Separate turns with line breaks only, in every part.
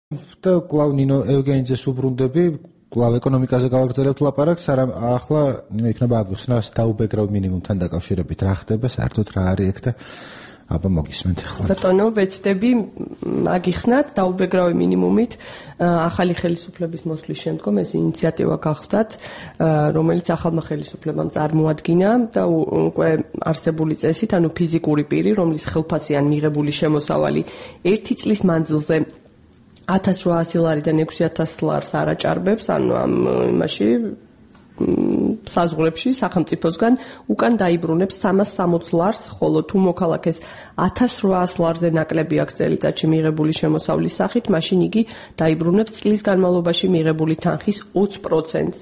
და კვლავ ნინო ევგენიძეს უბრუნდები, კვლავ ეკონომიკაზე გავაგრძელებთ ლაპარაკს, არა ახლა ნინო იქნება აგვიხსნას დაუბეგრავ მინიმუმთან დაკავშირებით რა ხდება, საერთოდ რა არის ეგ და აბა მოგისმენთ ახლა.
ბატონო, ვეცდები აგიხსნათ დაუბეგრავი მინიმუმით ახალი ხელისუფლების მოსვლის შემდგომ ეს ინიციატივა გახსდათ, რომელიც ახალმა ხელისუფლებამ წარმოადგინა და უკვე არსებული წესით, ანუ ფიზიკური პირი, რომლის ხელფასიან მიღებული შემოსავალი 1 წლის მანძილზე 1800 ლარიდან 6000 ლარს არ აჭარბებს, ანუ ამ იმაში საზღვრებში სახელმწიფოსგან უკან დაიბრუნებს 360 ლარს, ხოლო თუ მოქალაქეს 1800 ლარზე ნაკლები აქვს წელიწადში მიღებული შემოსავლის სახით, მაშინ იგი დაიბრუნებს წლის განმავლობაში მიღებული თანხის 20%-ს.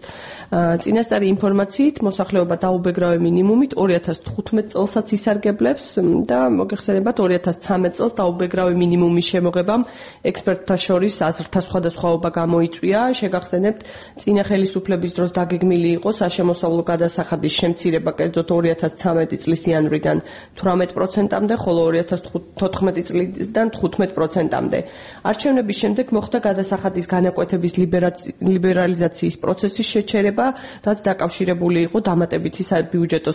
წინასწარი ინფორმაციით, მოსახლეობა დაუბეგრავი მინიმუმით 2015 წელსაც ისარგებლებს და მოგეხსენებათ 2013 წელს დაუბეგრავი მინიმუმის შემოღებამ ექსპერტთა შორის აზრთა სხვადასხვაობა გამოიწვია. შეგახსენებთ, წინა ხელისუფლების დროს დაგეგმილი იყო საშემოსავლო გადასახადის შემცირება კერძოდ 2013 წლის იანვრიდან 18%-მდე, ხოლო 2014 წლიდან 15%-მდე. არჩევნების შემდეგ მოხდა გადასახადის განაკვეთების ლიბერალიზაციის პროცესის შეჩერება, რაც დაკავშირებული იყო დამატებითი საბიუჯეტო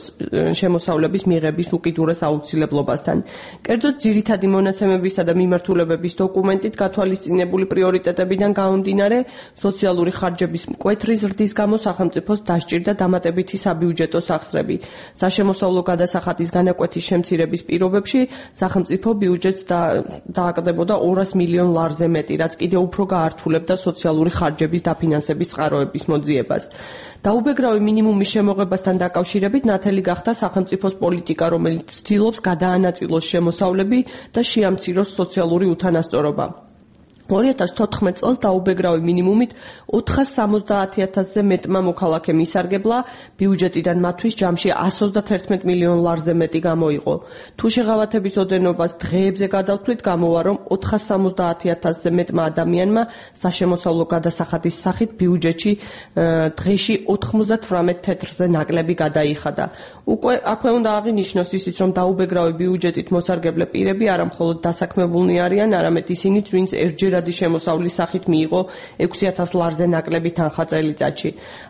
შემოსავლების მიღების უკიდურეს აუცილებლობასთან. კერძოდ ძირითადი მონაცემებისა და მიმართულებების დოკუმენტით გათვალისწინებული პრიორიტეტებიდან გამომდინარე, სოციალური ხარჯების მკვეთრი ზრდის გამო სახელმწიფოს დასჭირდა დამატებითი საბიუჯეტო სახსრები. საშემოსავლო გადასახადის განაკვეთის შემცირების პირობებში სახელმწიფო ბიუჯეტს დააკლდებოდა 200 მილიონ ლარზე მეტი, რაც კიდევ უფრო გაართულებდა სოციალური ხარჯების დაფინანსების წყაროების მოძიებას. დაუბეგრავი მინიმუმის შემოღებასთან დაკავშირებით ნათელი გახდა სახელმწიფოს პოლიტიკა, რომელიც ცდილობს გადაანაწილოს შემოსავლები და შეამციროს სოციალური უთანასწორობა. 2014 წელს დაუბეგრავი მინიმუმით 470,000-ზე მეტმა მოქალაქემ ისარგებლა, ბიუჯეტიდან მათთვის ჯამში 131 მილიონ ლარზე მეტი გამოიყო. თუ შეღავათების ოდენობას დღეებზე გადავთვლით, გამოვა, რომ 470,000-ზე მეტმა ადამიანმა საშემოსავლო გადასახადის სახით ბიუჯეტში დღეში 98 თეთრზე ნაკლები გადაიხადა. უკვე აქვე უნდა აღინიშნოს ისიც, რომ დაუბეგრავი ბიუჯეტით მოსარგებლე პირები არა მხოლოდ დასაქმებულნი არიან, არამედ ისინიც, ვინც ერთჯერადი შემოსავლის სახით მიიღო 6000 ლარზე ნაკლები თანხა წელიწადში.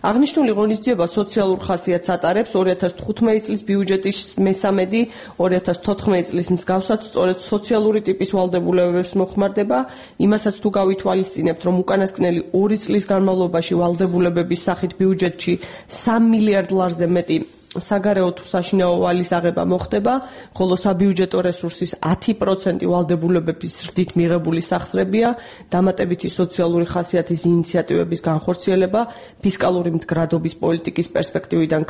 აღნიშნული ღონისძიება სოციალურ ხასიათს ატარებს 2015 წლის ბიუჯეტის მესამედი, 2014 წლის მსგავსად სწორედ სოციალური ტიპის ვალდებულებებს მოხმარდება, იმასაც თუ გავითვალისწინებთ, რომ უკანასკნელი 2 წლის განმავლობაში ვალდებულებების სახით ბიუჯეტში 3 მილიარდ ლარზე მეტი საგარეო თუ საშინაო ვალის აღება მოხდება, ხოლო საბიუჯეტო რესურსის 10% ვალდებულებების ზრდით მიღებული სახსრებია, დამატებითი სოციალური ხასიათის ინიციატივების განხორციელება ფისკალური მდგრადობის პოლიტიკის პერსპექტივიდან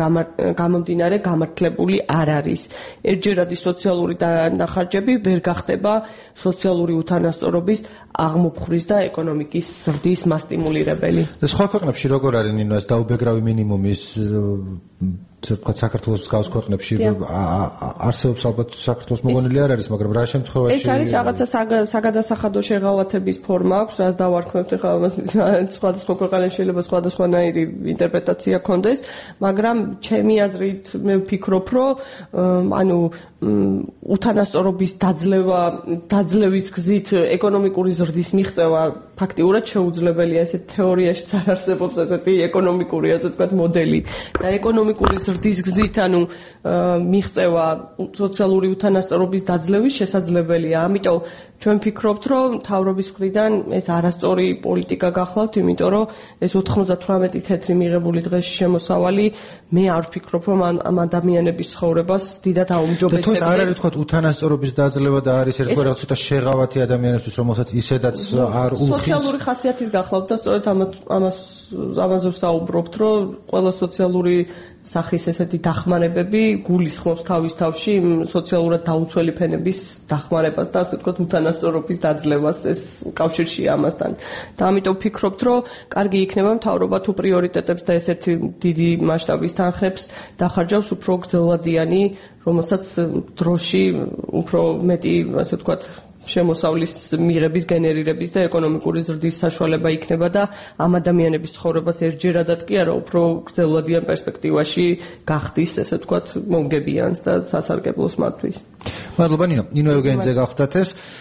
გამომდინარე გამართლებული არ არის. ერთჯერადი სოციალური დახარჯები ვერ გახდება სოციალური უთანასწორობის აღმოფხვრის და ეკონომიკის ზრდის მასტიმულირებელი.
სხვა ქვეყნებში როგორ არის ნინო ეს დაუბეგრავი მინიმუმის საქართველოს მსგავს ქვეყნებში არსებობს ალბათ საქართველოს მოგონილი არ არის, მაგრამ რა შემთხვევაში
ეს არის რაღაცა საგადასახადო შეღავათების ფორმა აქვს, რაც დავარქმევთ ახლა ამას სხვადასხვა ქვეყანაში შეიძლება სხვადასხვანაირი ინტერპრეტაცია ქონდეს, მაგრამ ჩემი აზრით მე ვფიქრობ, რომ ანუ უთანასწორობის დაძლევის გზით ეკონომიკური ზრდის მიღწევა ფაქტიურად შეუძლებელია, ესეთ თეორიაში არ არსებობს ესეთი ეკონომიკური, ასე ვთქვათ, მოდელი და ეკონომიკური ზრდის გზით ანუ მიღწევა სოციალური უთანასწორობის დაძლევის შესაძლებელია. ამიტომ ჩვენ ვფიქრობთ, რომ მთავრობის მხრიდან ეს არასწორი პოლიტიკა გახლავთ, იმიტომ რომ ეს 98 თეთრი მიღებული დღეში შემოსავალი მე არ ვფიქრობ, რომ ამ ადამიანების ცხოვრებას დიდად აუმჯობესებს.
და თუ არ არის თქვა უთანასწორობის დაძლევა და არის ერთგვარად ცოტა შეღავათი ადამიანისთვის, რომელსაც ისედაც არ უხდის
სოციალური ხასიათის გახლავთ და სწორედ ამაზე ვსაუბრობთ, რომ ყველა სოციალური სახის ესეთი დახმარებები გულისხმობს თავის თავში სოციალურად დაუცველი ფენების დახმარებას და ასე ვთქვათ უთანასწორობის დაძლევას ეს კავშირშია ამასთან. და ამიტომ ვფიქრობთ, რომ კარგი იქნება მთავრობა თუ პრიორიტეტებს და ესეთი დიდი მასშტაბის თანხებს დახარჯავს უფრო გრძელვადიანი, რომელსაც დროში უფრო მეტი, ასე ვთქვათ, შემოსავლის მიღების გენერირების და ეკონომიკური ზრდის საშუალება იქნება და ამ ადამიანების ცხოვრებას ერთჯერადად კი არა, უფრო გრძელვადიან პერსპექტივაში გახდის, ესე ვთქვათ, მომგებიანს და სასარგებლოს მათთვის.
მადლობა ნინო ევგენიძე გახდათ ეს